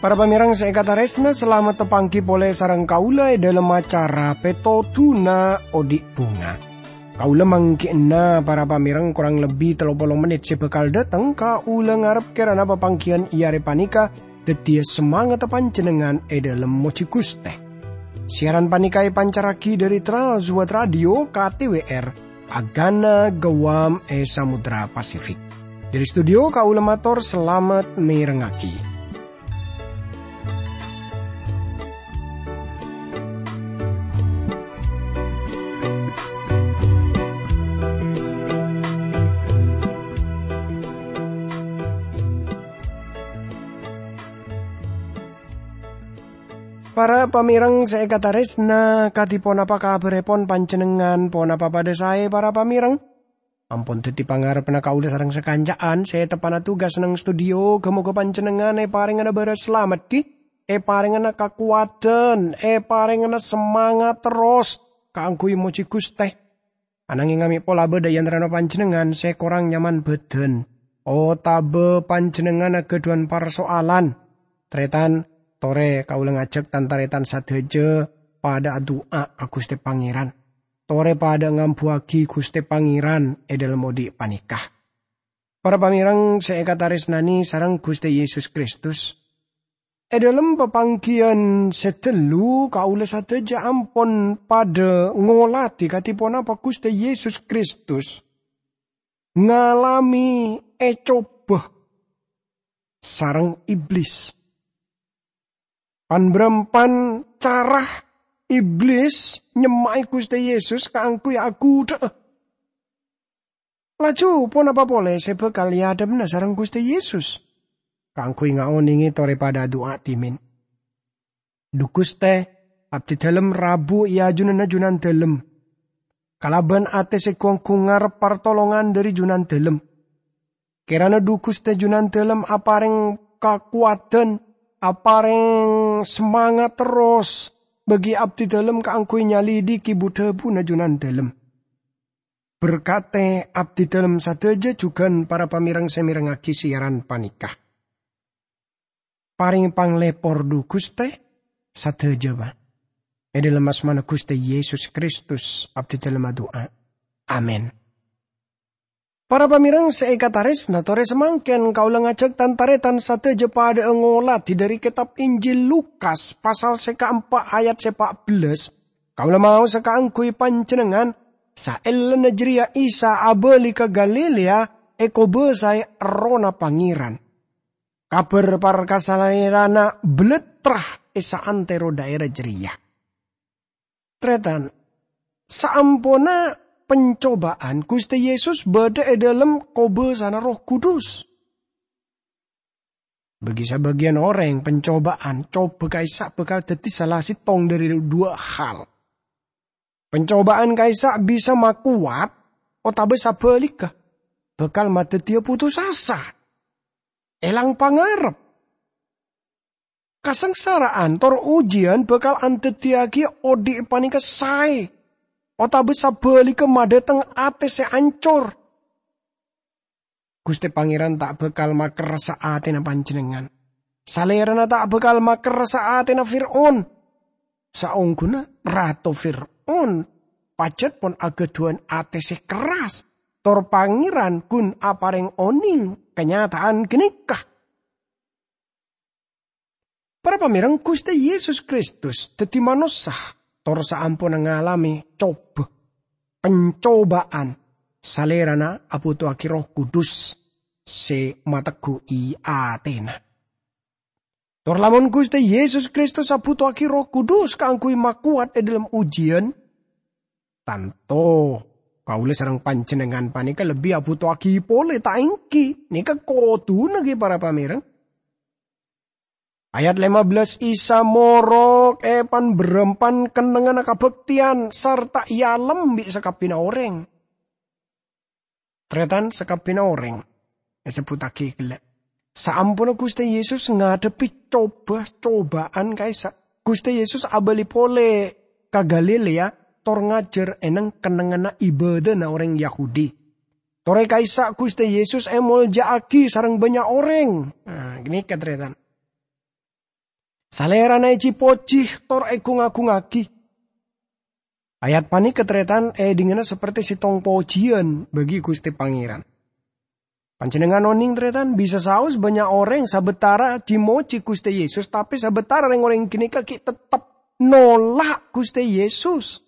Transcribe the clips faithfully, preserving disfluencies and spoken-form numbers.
Para pamèrèng sè èkatarèsna, salamet tapangghi polè sareng kaulâ è dhâlem acara Pètodhuna Odi' Bhunga. Kaulâ mangghi'na para pamèrèng korang lebbi tello polo mennit sè bhâkal dhâteng, kaulâ ngarep kèrana papangghiyân è arè panèka dhâddhiyâ samangatta panjhennengngan è dhâlem mojhi Ghustè. Siaran panèka èpancarraghi dhâri Trans World Radio K T W R, Agana Guam è Samudra Pasifik. Dhâri studio kaulâ mator salamet mèrengngaghi. Para pamèrèng sè èkatarèsna, kadhi ponapa kabhârèpon panjhennengngan? Ponapa padhâ saè, para pamèrèng? Ampon dhâddhi pangarebbhâ kaulâ sareng sakanca'an sè teppa'na tugas neng studio, ghâ-moghâ panjhennengngan èparèngana bârâs salamet, ghi, èparèngana kakowadhân, èparèngana samangat terros kaangghuy mojhi Ghustè. Anangèng amè' pola bâdâ è antarana panjhennengngan sè korang nyaman bhâdhân, otabâ panjhennengngan aghâdhuwân parsoalan, tarètan, torè kaulâ ngajhâk tan-tarètan sadhâjâ padhâ adu'a ka Ghustè Pangèran. Torè padhâ ngambuwâghi Ghustè Pangèran è dhâlem odi' panèka. Para pamèrèng sè èkatarèsnanè sareng Ghustè Yesus Kristus, è dhâlem papangghiyân sè ghâllu kaulâ sadhâjâ ampon padhâ ngolatè kadhi ponapa Ghustè Yesus Kristus ngalamè ècoba sareng Iblis. Pan-bârâmpan cara Iblis nyemma'è Ghustè Yesus kaangghuy aghudhâ'â. Laju ponapa polè sè bhâkal èadhebbhâ sareng Ghustè Yesus? Kaangghuy ngaonèngè torè padhâ adu'a dhimèn. Dhu Ghustè, abdhidhâlem rabu è ajunanna Junandhâlem, kalabân atè sè gu-onggu ngarep partolongan dhâri Junandhâlem. Kèrana dhu Ghustè Junandhâlem aparèng kakowadhân, aparèng samangat terros bagi abdhidhâlem kaangghuy nyalidhiki bu-dhâbuna Junandhâlem. Berkatè abdhidhâlem sadhâjâ jhughân para pamèrèng sè mèrengngaghi siaran panèka. Parèngè panglèpor dhu Ghustè sadhâjâ, Bâ. È dhâlem asmana Ghustè Yesus Kristus abdhidhâlem adu'a. Amin. Para pamèrèng sè èkatarèsna, torè samangkèn kaulâ ngajhâk tan-tarètan sadhâjâ padhâ'â ngolatè dhâri kètab Injil Lukas pasal sè kaempa' ayat sè pa' bellâs. Kaulâ maosa kaangghuy panjhennengngan, saellana jârèya Isa abâli ka Galilea èkobâsaè Errohna Pangèran. Kabhâr parkasa Salerana bâlâtra è saantèro dhaèra jârèya. Tarètan, saamponna pancobâ'ân, Ghustè Yesus bâdâ è dhâlem kobâsana Erroh Kudus. Bagi sabâgiyân orèng, pancobâ'ân, coba ka'issa' bhâkal dhâddhi sala sèttong dhâri dhuwâ' hal. Pancobâ'ân ka'issa' bisa makowat otabâ sabhâligghâ, bhâkal madhâddhiyâ putus asa, èlang pangarep. Kasangsara'an tor ojiyân bhâkal andhâddhiyâghi odi' panèka saè, otabâ sabhâligghâ madhâteng atè sè ancor. Ghustè Pangèran ta' bhâkal makerressa atèna panjhennengngan. Salèrana ta' bhâkal makerressa atèna Fir'aun. Saongghuna Rato Fir'aun pajhât pon aghâdhuwân atè sè kerras, tor Pangèran ghun aparèng onèng kanyata'an ghânèka. Para pamèrèng, Ghustè Yesus Kristus dhâddhi manossa, tor saamponna ngalamè coba, pancobâ'ân, Salèrana abhuto'aghi Erroh Kudus sè mateggu'i atèna. Tor lamon Ghustè Yesus Kristus abhuto'aghi Erroh Kudus kaangghuy makowat è dhâlem ojiyân, tanto kaulâ sareng panjhennengngan panèka lebbi abhuto'aghi polè, ta' èngghi? Nèka kodhuna, ghi, para pamèrèng. Ayat lèma bellâs, Isa morok è pan-bârâmpan kennengnganna kabhâktèyan sarta èalem bi' sakabbhiyânna orèng. Tarètan, sakabbhiyânna orèng èsebbhuttaghi ghellâ'. Saamponna Ghustè Yesus ngadhebbhi coba-cobâ'ân ka'issa', Ghustè Yesus abâli polè ka Galilea, tor ngajhâr è neng-kennengnganna ibâdâna orèng Yahudi. Torè ka'issa' Ghustè Yesus èmoljâ'aghi sareng bânnya' orèng. Nah, ghânèka, tarètan. Salèrana èji-pojhi tor ègung-agungngaghi. Ayat panèka, tarètan, èdingngana saperti sèttong pojiyân bagi Ghustè Pangèran. Panjhennengngan onèng, tarètan, bisa saos bânnya' orèng sabâtara ji-mojhi Ghustè Yesus, tapè sabâtara rèng-orèng ghânèka ghi' tettep nola' Ghustè Yesus.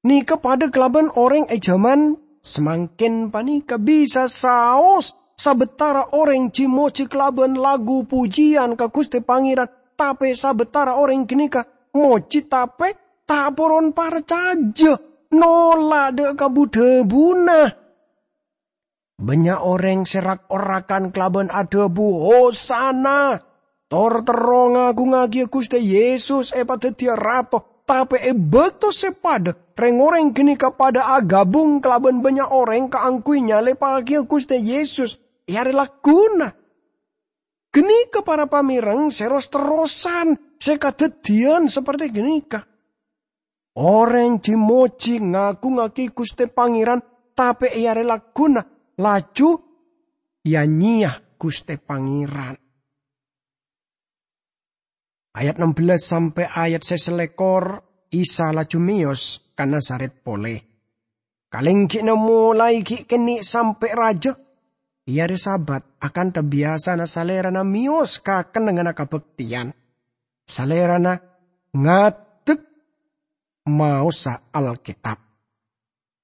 Nèka padâ kalabân orèng è jhâman samangkèn panèka, bisa saos sabâtara orèng ji-mojhi kalabân lagu pojiyân ka Ghustè Pangèran, tapè sabâtara orèng ghânèka mojhi tapè ta' poron parcajâ, nola' dâ' ka bu-dhâbuna. Bânnya' orèng sè rak-orakan kalabân adhâbu, "Hosana!" Tor terro ngagungngaghiyâ Ghustè Yesus èpadhâddhiyâ Rato. Tapè è bâkto sè padâ, rèng-orèng ghânèka padâ agabung kalabân bânnya' orèng kaangghuy nyalèbhâghiyâ Ghustè Yesus è arè lagguna. Ghânèka para pamèreng sè ros-terrosan sè kadhâddhiyân saperti ghânèka. Orèng ji-mojhi ngagungngaghiyâ Ghustè Pangèran, tapè è arè lagguna laju ya-nyèya Ghustè Pangèran. Ayat ennem belas sampè' ayat sè sèlèkor, Isa laju mèyos ka Nazaret polè. Kalènggi'na molaè ghi' kènè' sampè' rajâ, è arè Sabat, akantha biyasana Salèrana mèyos ka kennengnganna kabhâktèyan. Salèrana ngadek maosa Alkètab.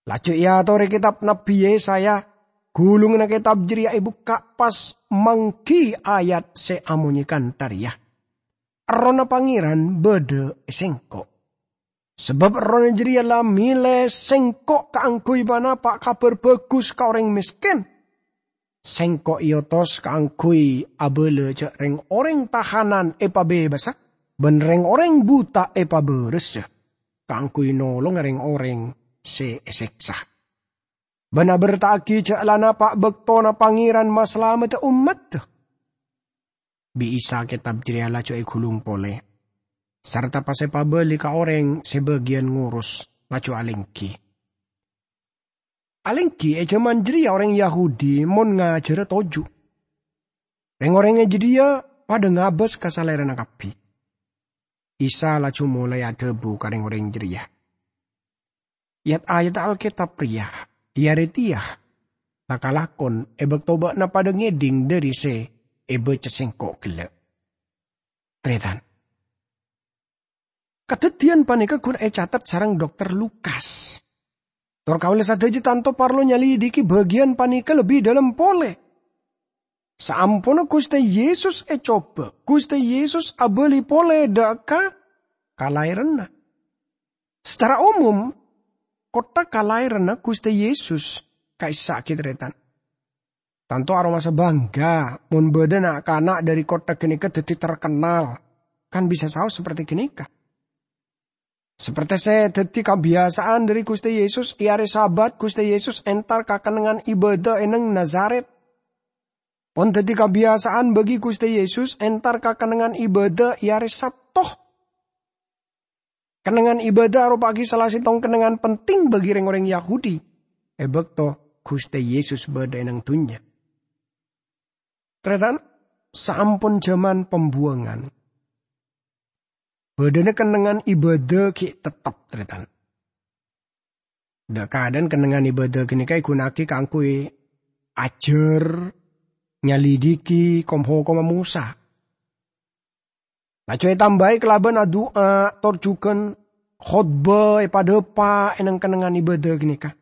Laju èatorè kètab Nabbhi Yesaya, ghulungnga kètab jârèya èbukka' pas mangghi ayat sè amonyè kantha rèya, "Errohna Pangèran bâdâ è sèngko'. Sabâb Errohna jârèya la mèlè sèngko' kaangghuy panapa' Kabhâr Bhâghus ka orèng mèskèn. Sèngko' èotos kaangghuy abâlâ jâ' rèng-orèng tahanan èpabebasa, bân rèng-orèng buta èpabârâsa, kaangghuy nolonga rèng-orèng sè èsèksa, bân aberta'aghi jâ' la napa' bâktona Pangèran masalamedda ommaddhâ." Bi' Isa kètab jârèya laju èghulung polè, sarta pas èpabâli ka orèng sè bâgiyân ngoros, laju alènggi. Alènggi è jhâman jârèya orèng Yahudi mon ngajhârâ toju'. Rèng-orèng è jârèya padâ ngabâs ka Salèrana kabbhi. Isa laju molaè adhâbu ka rèng-orèng jârèya, "Yat-ayat Alkètab rèya è arè tèya la kalakon è bâkto bâ'na padâ ngèdhing dhâri sè èbâca sèngko' ghellâ'." Tarètan. Kadhâddhiyân panèka ghun ècatet sareng Dokter Lukas. Tor kaulâ sadhâjâ tanto parlo nyalidiki bâgiyân panèka lebbi dâlem polè. Saamponna Ghustè Yesus ècoba, Ghustè Yesus abâli polè dâ' ka kalaèranna. Sacara omom, kottha kalaèranna Ghustè Yesus ka'issa' ghi' tarètan. Tanto aromasa bangga mon bâdâ na'-kana' dhâri kottha ghânèka dhâddhi terkennal, kan bisa saos saperti ghânèka. Saperti sè dhâddhi kabiyasaan dhâri Ghustè Yesus, è arè Sabat Ghustè Yesus entar ka kennengngan ibâdâ è neng Nazaret. Pon dhâddhi kabiyasaan bagi Ghustè Yesus entar ka kennengngan ibâdâ è arè Sabto. Kennengngan ibâdâ aropa'aghi sala sèttong kennengngan penting bagi rèng-orèng Yahudi è bâkto Ghustè Yesus bâdâ è neng dhunnya. Tarètan, saampon jhâman pembuangan, bâdâna kennengngan ibâdâ ghi' tettep, tarètan. Dâ'-kadâ'ân kennengngan ibâdâ ghânèka èghuna'aghi kaangghuy ajhâr, nyalidiki kom-hokomma Mosa. Laju ètambâi kalabân adu'a, tor jhughân khotbah èpadâpa' è neng kennengngan ibâdâ ghânèka.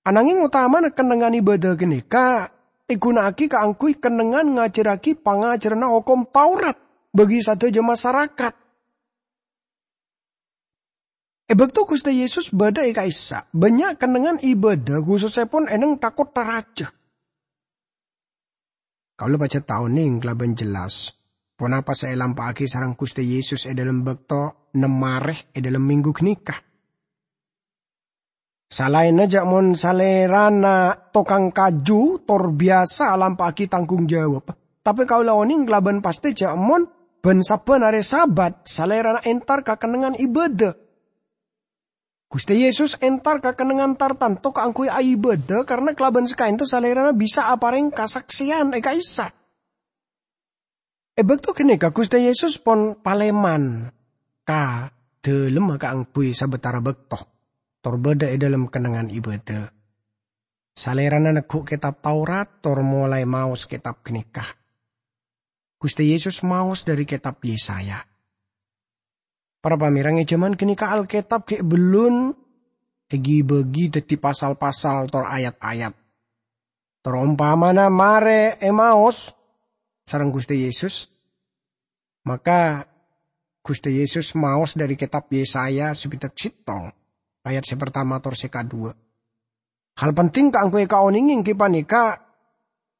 Ananging otamana kennengngan ibâdâ ghânèka èghuna'aghi kaangghuy kennengngan ngajhârraghi pangajhârânna Hokom Taurat bagi sadhâjâ masarakat. È bâkto Ghustè Yesus bâdâ è ka'issa', bânnya' kennengngan ibâdâ, khusussèpon è neng tha-kottha rajâ. Kaulâ pajhât ta' onèng kalabân jelas ponapa sè èlampa'aghi sareng Ghustè Yesus è dâlem bâkto nem arè è dâlem mènggu ghânèka. Salaènna jâ' mon Salèrana tokang kaju tor biyasa alampa'aghi tanggung jawab, tapè kaulâ onèng kalabân pastè jâ' mon Bân sabbhân arè Sabat, Salèrana entar ka kennengngan ibâdâ. Ghustè Yesus entar ka kennengngan tartanto kaangghuy aibâdâ, karna kalabân sakaènto Salèrana bisa aparèng kasaksèyan è ka'issa'. È bâkto ghânèka Ghustè Yesus pon palèman ka dhâlemma kaangghuy sabâtara bâkto, tor bâdâ è dhâlem kennengngan ibâdâ. Salèrana neggu' Kètab Taurat tor molaè maos kètab ghânèka. Ghustè Yesus maos dhâri kètab Yesaya. Para pamèrang, è jhâman ghânèka Alkètab ghi' bellun èghi-bâghi dhâddhi pasal-pasal tor ayat-ayat. Tor ompamana marè èmaos sareng Ghustè Yesus, maka Ghustè Yesus maos dhâri kètab Yesaya sabidhâk sèttong, ayat sè partama tor sè kaduwâ. Hal penting kaangghuy èkaonèngè èngghi panèka,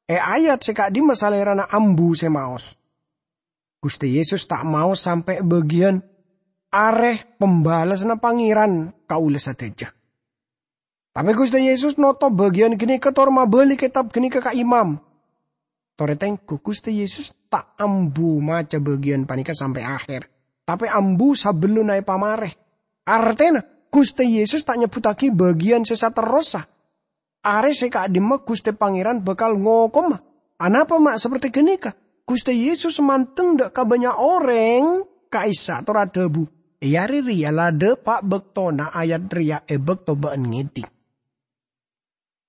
è ayat sè ka'dimma Salèrana ambu sè maos. Ghustè Yesus ta' maos sampè' bâgiyân arè pembalasanna Pangèran kaulâ sadhâjâ. Tapè Ghustè Yesus notop bâgiyân ghânèka tor mabâli kètab ghânèka ka imam. Tor ètengghu, Ghustè Yesus ta' ambu maca bâgiyân panèka sampè' aher, tapè ambu sabellunna èpamarè. Artèna, Ghustè Yesus ta' nyebbhuttaghi bâgiyân sè saterrossa. Arè sè ka'dimma Ghustè Pangèran bhâkal ngokoma. Anapa ma' saperte ghânèka? Ghustè Yesus mandeng dâ' ka bânnya' orèng ka'issa' tor adhâbu, "È arè rèya la dâpa' bâktona ayat rèya è bâkto bâ'ân ngèdhing."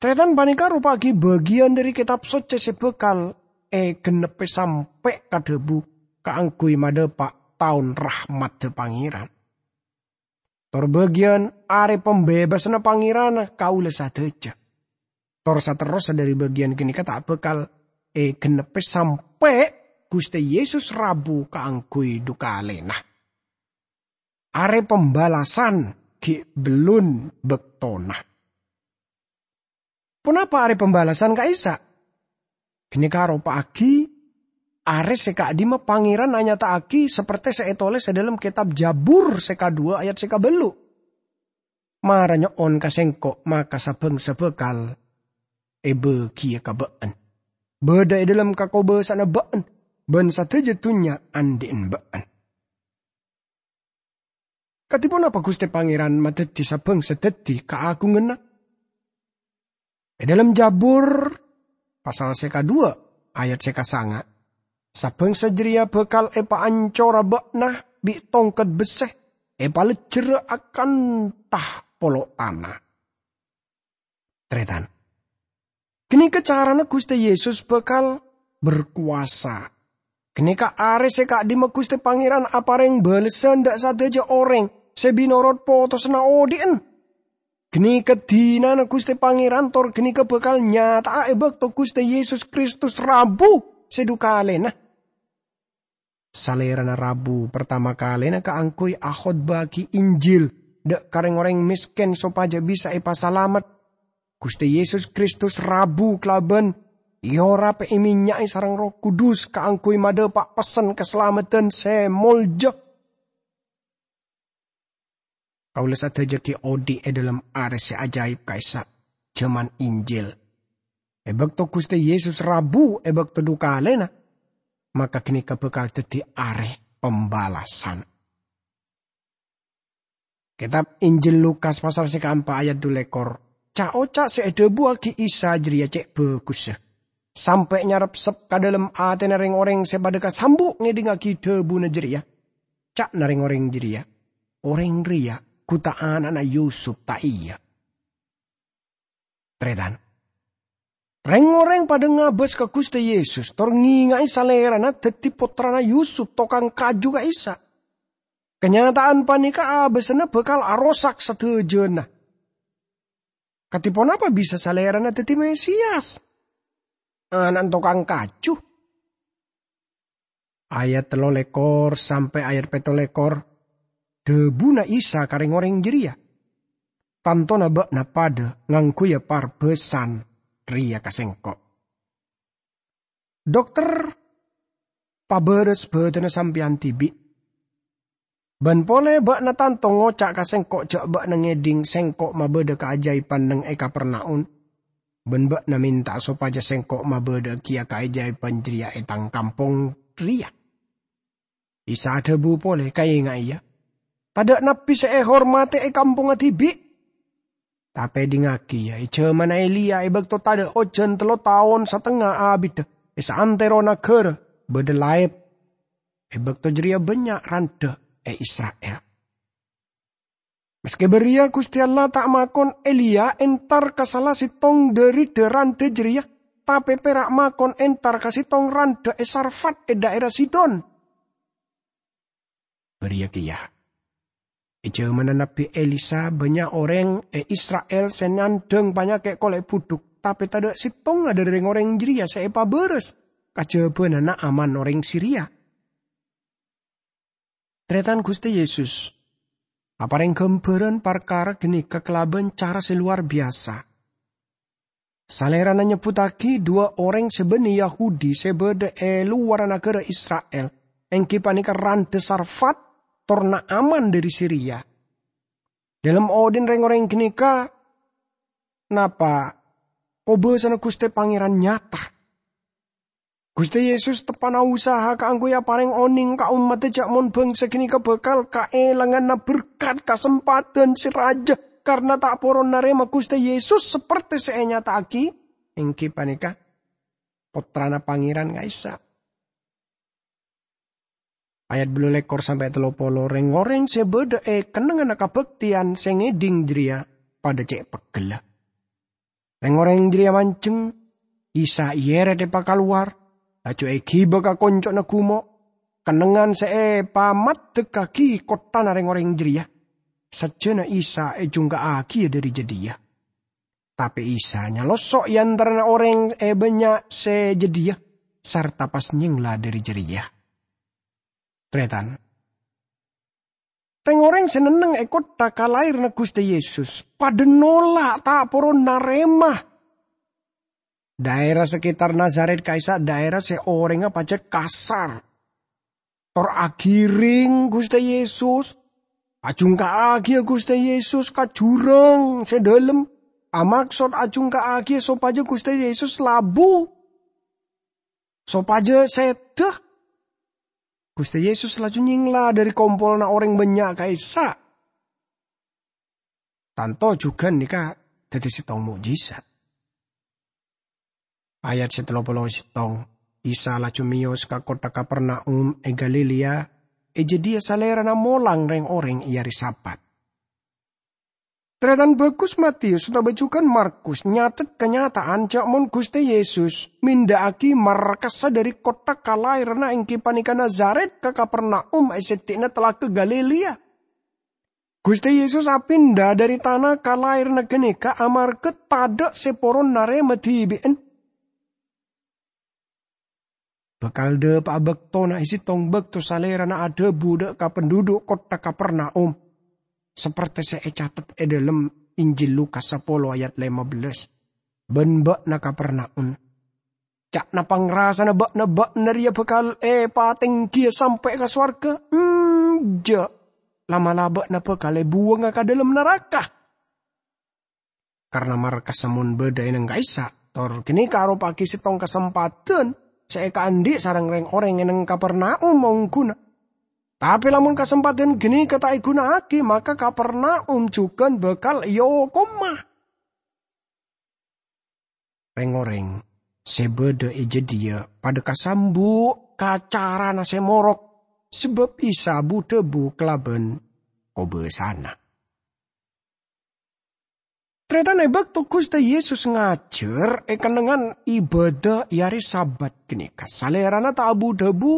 Tarètan panèka ropa'aghi bâgiyân dhâri Kètab Socce sè bhâkal ègennebbhi sampè' ka dhâbu kaangghuy madhâpa' taon rahmadda Pangèran. Tor bâgiyân arè pambebassanna Pangèran kaulâ sadhâjâ. Tor saterrossa dhâri bâgiyân ghânèka ta' bhâkal ègennebbhi sampè' Ghustè Yesus rabu kaangghuy dhu kalèna. Arè pambalasan ghi' bellun bâktona. Ponapa arè pambalasan ka'issa'? Ghânèka aropa'aghi arè sè ka'dimma Pangèran anyata'aghi saperte sè ètolès è dhâlem kètab Jabur sè kaduwâ ayat sè kabâllu'. "Mara nyo'on ka Sèngko', maka sa-bhângsa bhâkal èbâghiyâ ka bâ'ân. Bâdâ è dhâlem kakobâsa'anna bâ'ân, bân sadhâjâ dhunnya andi'na bâ'ân." Kadhi ponapa Ghustè Pangèran madhâddhi sa-bhângsa dhâddhi kaagunganna? È dhâlem Jabur, pasal sè kaduwâ, ayat sè kasanga', "Sa-bhângsa jârèya bhâkal èpaancora bâ'na bi' tongket bessè, èpalejjhârâ akantha polo' tana." Tarètan. Ghânèka carana Ghustè Yesus bhâkal berkuasa. Ghânèka arè sè ka'dimma Ghustè Pangèran aparèng bâlessan dâ' sadhâjâ orèng sè bi' norot potosanna odhi'na. Ghânèka dinana Ghustè Pangèran tor ghânèka bhâkal nyata'a è bâkto Ghustè Yesus Kristus rabu sè dhu kalèna. Salèrana rabu partama kalèna kaangghuy akhotbâ'aghi Injil dâ' ka rèng-orèng mèskèn sopajâ bisa èpasalamet. Ghustè Yesus Kristus rabu kalabân èorap èmènnya'è sareng Erroh Kudus kaangghuy madhâpa' pessen kasalamedhân sè molja. Kaulâ sadhâjâ ghi' odhi' è dhâlem arè sè ajaib ka'issa', jhâman Injil. È bâkto Ghustè Yesus rabu è bâkto dhu kalèna, maka ghânèka bhâkal dhâddhi arè pambalasan. Kètab Injil Lukas pasal sè kaempa' ayat dhu lèkor. Ca'-oca' sè èdhâbuwâghi Isa jârèya cè' bhâghussa, sampè' nyarepsep ka dhâlem atèna rèng-orèng sè padâ kasambu' ngèdhingngaghi dhâbuna jârèya. Ca'na rèng-orèng jârèya, "Orèng rèya ghu ta' ana'na Yusup, ta' iyâ?" Tarètan. Rèng-orèng padâ ngabâs ka Ghustè Yesus, tor ngènga'è Salèrana dhâddhi pottrana Yusup, tokang kaju ka'issa'. Kanyata'an panèka abâsanna bhâkal arosak sadhâjâna. Kadhi ponapa bisa Salèrana dhâddhi Mesias? Ana'na tokang kaju. Ayat tello lèkor sampè' ayat pètto lèkor, dhâbuna Isa ka rèng-orèng jârèya, "Tantona bâ'na padâ ngangghuya parbâsan rèya ka Sèngko'." Dokter, pabârâs bâdânna sampèyan dhibi'. Bân polè bâ'na tanto ngoca' ka Sèngko' jâ' bâ'na ngèdhing Sèngko' mabâdâ kaajâibhân neng è Kapernaum, bân bâ'na mènta sopajâ Sèngko' mabâdâ'âghiyâ kaajâibhân jârèya è tang kampong rèya. Isa adhâbu polè, "Kaèngaè, yâ, tadâ' nabbhi sè èhormadhi è kampongnga dhibi'." Tapè dingngaghi, yâ, è jhâmanna Eliya, è bâkto tadâ' ojhân tello taon satengnga abiddhâ è saantero naghârâ bâdâ laèp, è bâkto jârèya bânnya' randhâ è Isra'il. Maskè bâriyâ, Ghustè Allah ta' makon Eliya entar ka sala sèttong dâri dâ-randhâ jârèya, tapè pèra' makon entar ka sèttong randhâ è Sarfat è dhaèra Sidon. Bâriyâ kèya, è jhâmanna Nabbhi Elisa, bânnya' orèng è Isra'il sè nandhâng panyakè' kolè' budhuk, tapè tadâ' sèttongnga dâri rèng-orèng jârèya sè èpabârâs kajhâbhâna Naaman orèng Siria. Tarètan, Ghustè Yesus aparèng ghâmbhârân parkara ghânèka kalabân cara sè lowar biyasa. Salèrana nyebbhuttaghi duwâ' orèng sè bânnè Yahudi sè bâdâ è lowarra naghârâ Isra'il, èngghi panèka randhâ Sarfat tor Naaman dâri Siria. Dâlem odhi'na rèng-orèng ghânèka, napa kobâsana Ghustè Pangèran nyata? Ghustè Yesus teppa'na usaha kaangghuy aparèng onèng ka ommaddhâ jhâ' mon bhângsa ghânèka bhâkal kaèlanganna berkat kasempadhân sè rajâ karna ta' poron narèma Ghustè Yesus sapertè sè ènyata'aghi, èngghi panèka Pottrana Pangèran ka'issa'. Ayat bâllu lèkor sampè' tello polo, rèng-orèng sè bâdâ è kennengnganna kabhâktèyan sè ngèdhing jârèya padâ cè' peggella. Rèng-orèng jârèya manjheng, Isa èyèrèt èpakalowar, laju èghibâ ka konco'na gumo'. Kennengngan sè èpamaddhekkaghi kotthana rèng-orèng jârèya. Sajjhâna Isa èjhungka'aghiyâ dâri jâdiyâ. Tapè Isa nyalosso' è antarana orèng è bânnya' sè jâdiyâ, sarta pas nyèngla dâri jârèya. Tarètan, rèng-orèng sè nenneng è kottha kalaèranna Ghustè Yesus padâ nolak, ta' poron narèma. Dhaèra sekitar Nazaret ka'issa' dhaèra sè orèngnga pajhât kasar. Tor aghirèng Ghustè Yesus, ajhungka'aghiyâ Ghustè Yesus ka jhurâng sè dhâlem, amaksod ajhungka'aghiyâ sopajâ Ghustè Yesus labu, sopajâ sèdhâ. Ghustè Yesus laju nyèngla dâri kompolanna orèng bânnya' ka'issa'. Tanto jhughân nèka dhâddhi sèttong mo'jizat. Ayat sè tello polo sèttong, Isa laju mèyos ka kottha Kapernaum è Galilea, è jâdiyâ Salèrana molang rèng-orèng è arè Sabat. Tarètan, bhâghus Matius otabâ jhughân Markus nyatet kanyata'an jhâ' mon Ghustè Yesus minda'aghi markassa dâri kottha kalaèranna èngghi panèka Nazaret ka Kapernaum è sèddhi'na Talaga Galilea. Ghustè Yesus apinda dâri tana kalaèranna ghânèka amarghâ tadâ' sè poron narèma dhibi'en. Bhâkal dhâpa'a bâktona è sèttong bâkto Salèrana adhâbu dâ' ka pandhudhu' kottha Kapernaum, sapertè sè ècatet è dhâlem Injil Lukas sapolo ayat lèma bellâs, "Bân bâ'na Kapernaum, ca'na pangrasana bâ'na, bâ'na rèya bhâkal èpatènggiyâ sampè' ka sowarghâ? Enjâ'! La'-mala' bâ'na bhâkal èbuwângnga ka dhâlem naraka." Karna markassa mon bâdâ è nèng ka'issa', tor ghânèka aropa'aghi sèttong kasempadhân sè èkaandhi' sareng rèng-orèng è nèng Kapernaum ongghuna. Tapè lamon kasempadhân ghânèka ta' èghuna'aghi, maka Kapernaum jhughân bhâkal èokoma. Rèng-orèng sè bâdâ è jâdiyâ padâ kasambu' ka carana sè morok, sabâb Isa bu-dhâbu kalabân kobâsana. Tarètan, è bâkto Ghustè Yesus ngajhâr è kennengngan ibâdâ è arè Sabat ghânèka, Salèrana ta' abu-dhâbu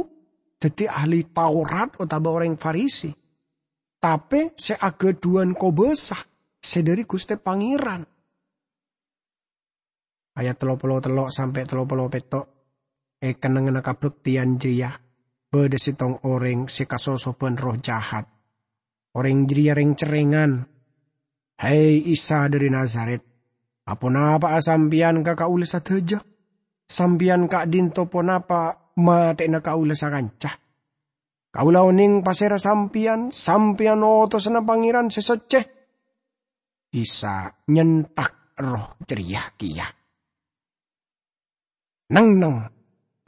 dhâddhi ahli Taurat otabâ orèng Farisi, tapè sè aghâdhuwân kobâsa sè dâri Ghustè Pangèran. Ayat tello polo tello' sampè' tello polo pètto'. È kennengnganna kabhâktèyan jârèya, bâdâ sèttong orèng sè kasosobhân erroh jahat. Orèng jârèya rèng-cerrèngan, "Hè, Isa dâri Nazaret, aponapa'a Sampèyan ka kaulâ sadhâjâ? Sampèyan ka'dinto ponapa matè'ana kaulâ sakanca? Kaulâ onèng pasèra Sampèyan, Sampèyan otosana Pangèran sè soccè." Isa nyenthak erroh jârèya kèya. "Neng-enneng,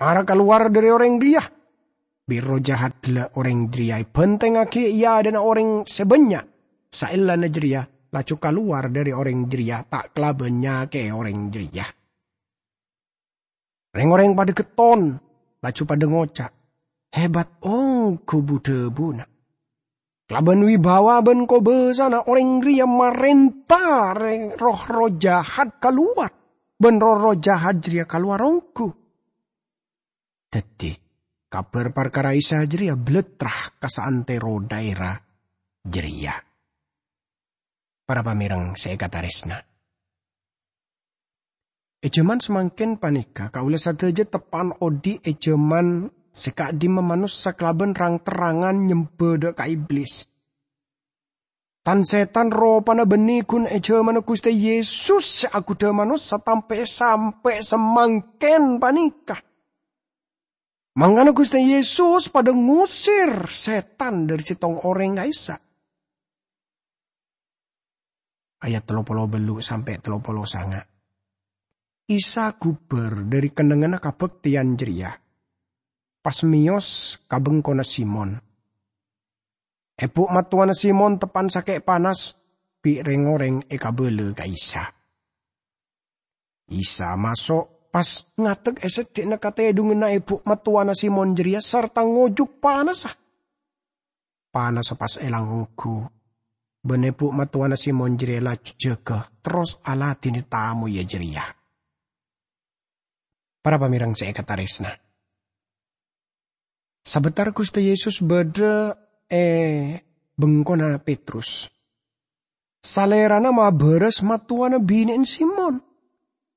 mara kalowar dâri orèng rèya!" Bi' erroh jahat ghellâ' orèng jârèya èbhântèngngaghi è adâ'na orèng sè bânnya'. Saellana jârèya laju kalowar dâri orèng jârèya, ta' kalabân nyakè'è orèng jârèya. Rèng-orèng padâ ghetton, laju padâ ngoca', "Hebat ongghu bu-dhâbuna! Kalabân wibawa bân kobâsana orèng rèya marènta rèng-, roh-erroh jahat kalowar, bân roh-erroh jahat jârèya kalowar ongghu." Dhâddhi, kabhâr parkara Isa jârèya bâlâtra ka saantèro dhaèra jârèya. Para pamèreng sè èkatarèsna, è jhâman samangkèn panèka kaulâ sadhâjâ teppa'na odi' è jhâman sè ka'dimma manossa kalabân rang-terrangan nyembhâ dâ' ka Iblis. Tan-sètan ropana bânnè ghun è jhâmanna Ghustè Yesus sè aghudhâ manossa tampè-, sampè' samangkèn panèka. Mangkana Ghustè Yesus padâ ngosèr sètan dâri sèttong orèng ka'issa'. Ayat tello polo bâllu' sampè' tello polo sanga'. Isa ghubâr dâri kennengnganna kabhâktèyan jârèya, pas mèyos ka bengkona Simon. Èbhu' mattowana Simon teppa'na sakè' panas, bi' rèng-orèng èkabâlâ ka Isa. Isa maso', pas ngadek è seddi'na katèdunganna èbhu' mattowana Simon jârèya sarta ngojuk panassa. Panassa pas èlang ongghu, bân èbhu' mattowana Simon jârèya laju jâgâ, terros aladhinè tamoyya jârèya. Para pamèreng sè èkatarèsna, sabâtara Ghustè Yesus bâdâ è bengkona Petrus, Salèrana mabârâs mattowana binè'na Simon,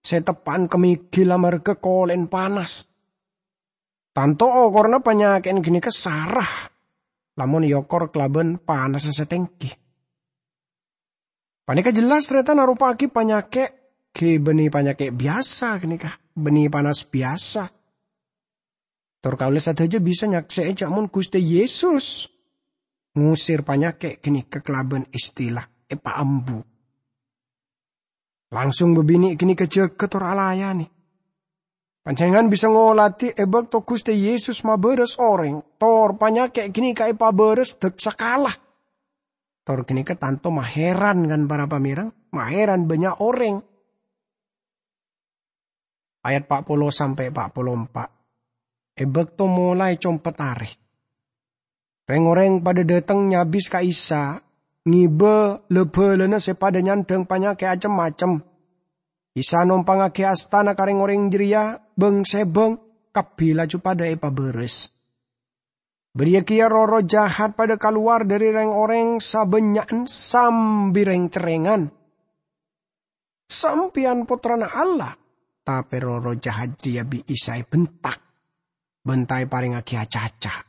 sè teppa'na kemigil amarghâ kolè'na panas. Tanto okoranna panyakè'na ghânèka sara, lamon èokor kalabân panassa sè tèngghi. Panèka jelas, tarètan, aropa'aghi panyakè' ghi' bânnè panyakè' biyasa ghânèka, bânnè panas biyasa. Tor kaulâ sadhâjâ bisa nyaksè'è jâ' mon Ghustè Yesus ngosèr panyakè' ghânèka kalabân istilah èpaambu. Langsung bâbinè' ghânèka jâgâ tor alayanè. Panjhennengngan bisa ngolatè è bâkto Ghustè Yesus mabârâs orèng, tor panyakè' ghânèka èpabârâs dâk sakala. Tor ghânèka tanto mahèran, kan, para pamèreng? Mahèran bânnya' orèng. Ayat pa' polo sampè' pa' polo empa'. È bâkto molaè compet arè, rèng-orèng padâ dâteng nyabis ka Isa, ngibâ la-bhâlâna sè padâ nyandhâng panyakè' cem-macem. Isa nompangngaghi astana ka rèng-orèng jârèya, bâng-sèbâng kabbhi laju padâ èpabârâs. Bâriyâ kèya roh-erroh jahat padâ kalowar dâri rèng-orèng sabânnya'an sambi rèng-cerrèngan. "Sampèyan Pottrana Allah," tapè roh-erroh jahat jârèya bi' Isa èbhentak, bân ta' èparèngaghi acaca.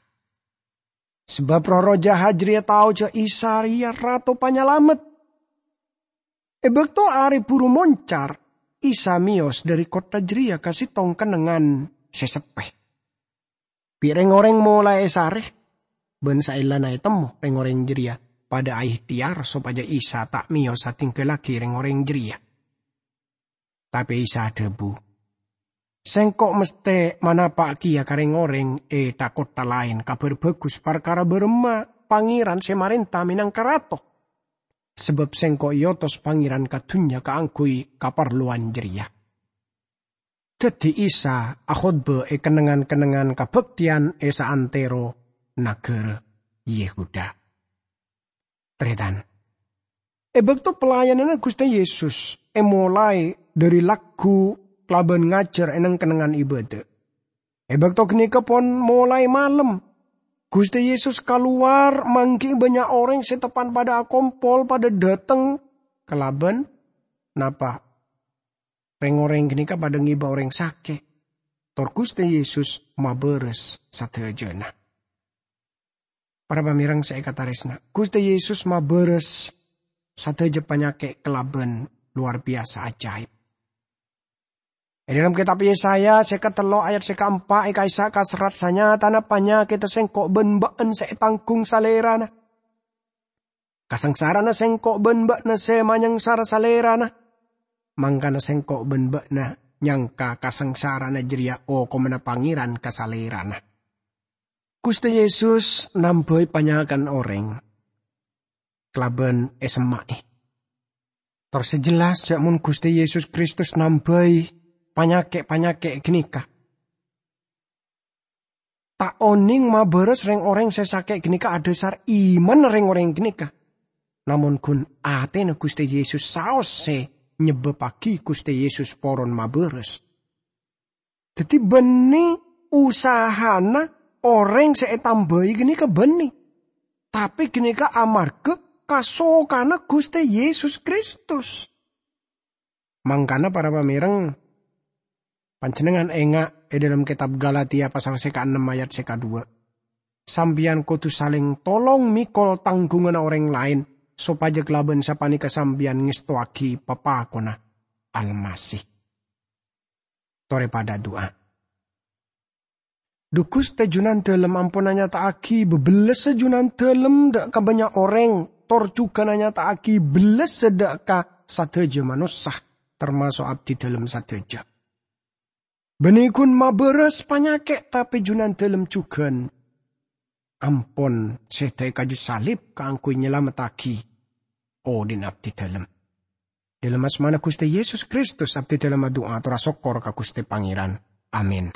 Sabâb roh-erroh jahat jârèya tao jâ' Isa rèya Rato Panyalamet. È bâkto arè buru moncar, Isa mèyos dâri kottha jârèya ka sèttong kennengngan sè seppè. Bi' rèng-orèng molaè èsarè, bân saellana ètemmo rèng-orèng jârèya padâ aèhtèyar sopajâ Isa ta' mèyos adhinggallaghi rèng-orèng jârèya. Tapè Isa adhâbu, "Sèngko' mesthè manapa' kèya ka rèng-orèng è tha-kottha laèn Kabhâr Bhâghus parkara bârâmma Pangèran sè marènta mènangka Rato. Sabâb Sèngko' èotos Pangèran ka dhunnya kaangghuy kaparlowan jârèya." Dhâddhi Isa akhotbah è kennengngan-kennengngan kabhâktèyan è saantèro naghârâ Yehuda. Tarètan, è bâkto pelayananna Ghustè Yesus èmolaè dâri lagghu kalabân ngajhâr è neng-kennengngan ibâdâ. È bâkto ghânèka pon molaè malem. Ghustè Yesus kalowar mangghi'i bânnya' orèng sè teppa'na padâ akompol, padâ dâteng kalabân napa? Rèng-orèng ghânèka padâ ngibâ orèng sakè', tor Ghustè Yesus mabârâs sadhâjâna. Para pamèreng sè èkatarèsna, Ghustè Yesus mabârâs sadhâjâ panyakè' kalabân lowar biyasa ajaib. È dhâlem Kètab Yesaya sèket tello' ayat sè kaempa' èka'issa' kaserrat, "Sanyatana panyakèdhâ Sèngko' bân bâ'na sè ètangghung Salèrana. Kasangsarana Sèngko' bân bâ'na sè manyangsara Salèrana. Mangkana Sèngko' bân bâ'na nyangka kasangsarana jârèya okomanna Pangèran ka Salèrana." Ghustè Yesus nambhâi panyakè'na orèng kalabân èsemma'è. Tor sè jelas jhâ' mon Ghustè Yesus Kristus nambhâi panyakè'-panyakè' ghânèka, ta' onèng mabârâs rèng-orèng sè sakè' ghânèka adhâsar imanna rèng-orèng ghânèka. Namong ghun atèna Ghustè Yesus saos sè nyebbhâbbhâghi Ghustè Yesus poron mabârâs. Dhâddhi bânnè usahana orèng sè ètambhâi ghânèka bânnè, tapè ghânèka amarghâ kasokana Ghustè Yesus Kristus. Mangkana, para pamèreng, panjhennengngan enga' è dhâlem kètab Galatia pasal sè kaennem ayat sè kadhuwâ', "Sampèyan kodhu salèng tolong mèkol tangghunganna orèng laèn, sopajâ kalabân sapanèka sampèyan ngèstowaghi papakonna Almasih." Torè padâ adu'a. Dhu Ghustè, Junandâlem ampon anyata'aghi bâbellessa Junandâlem dhâ' ka bânnya' orèng, tor jhughân anyata'aghi bellessa dhâ' ka sadhâjâ manossa, tamaso' abdidâlem sadhâjâ. Bânnè ghun mabârâs panyakè', tapè Junandâlem jhughân ampon sèdhâ è kaju salib kaangghuy nyalamettaghi odhi'na abdidâlem. Dhâlem asmana Ghustè Yesus Kristus, abdidâlem adu'a atorra sokkor ka Ghustè Pangèran. Amin.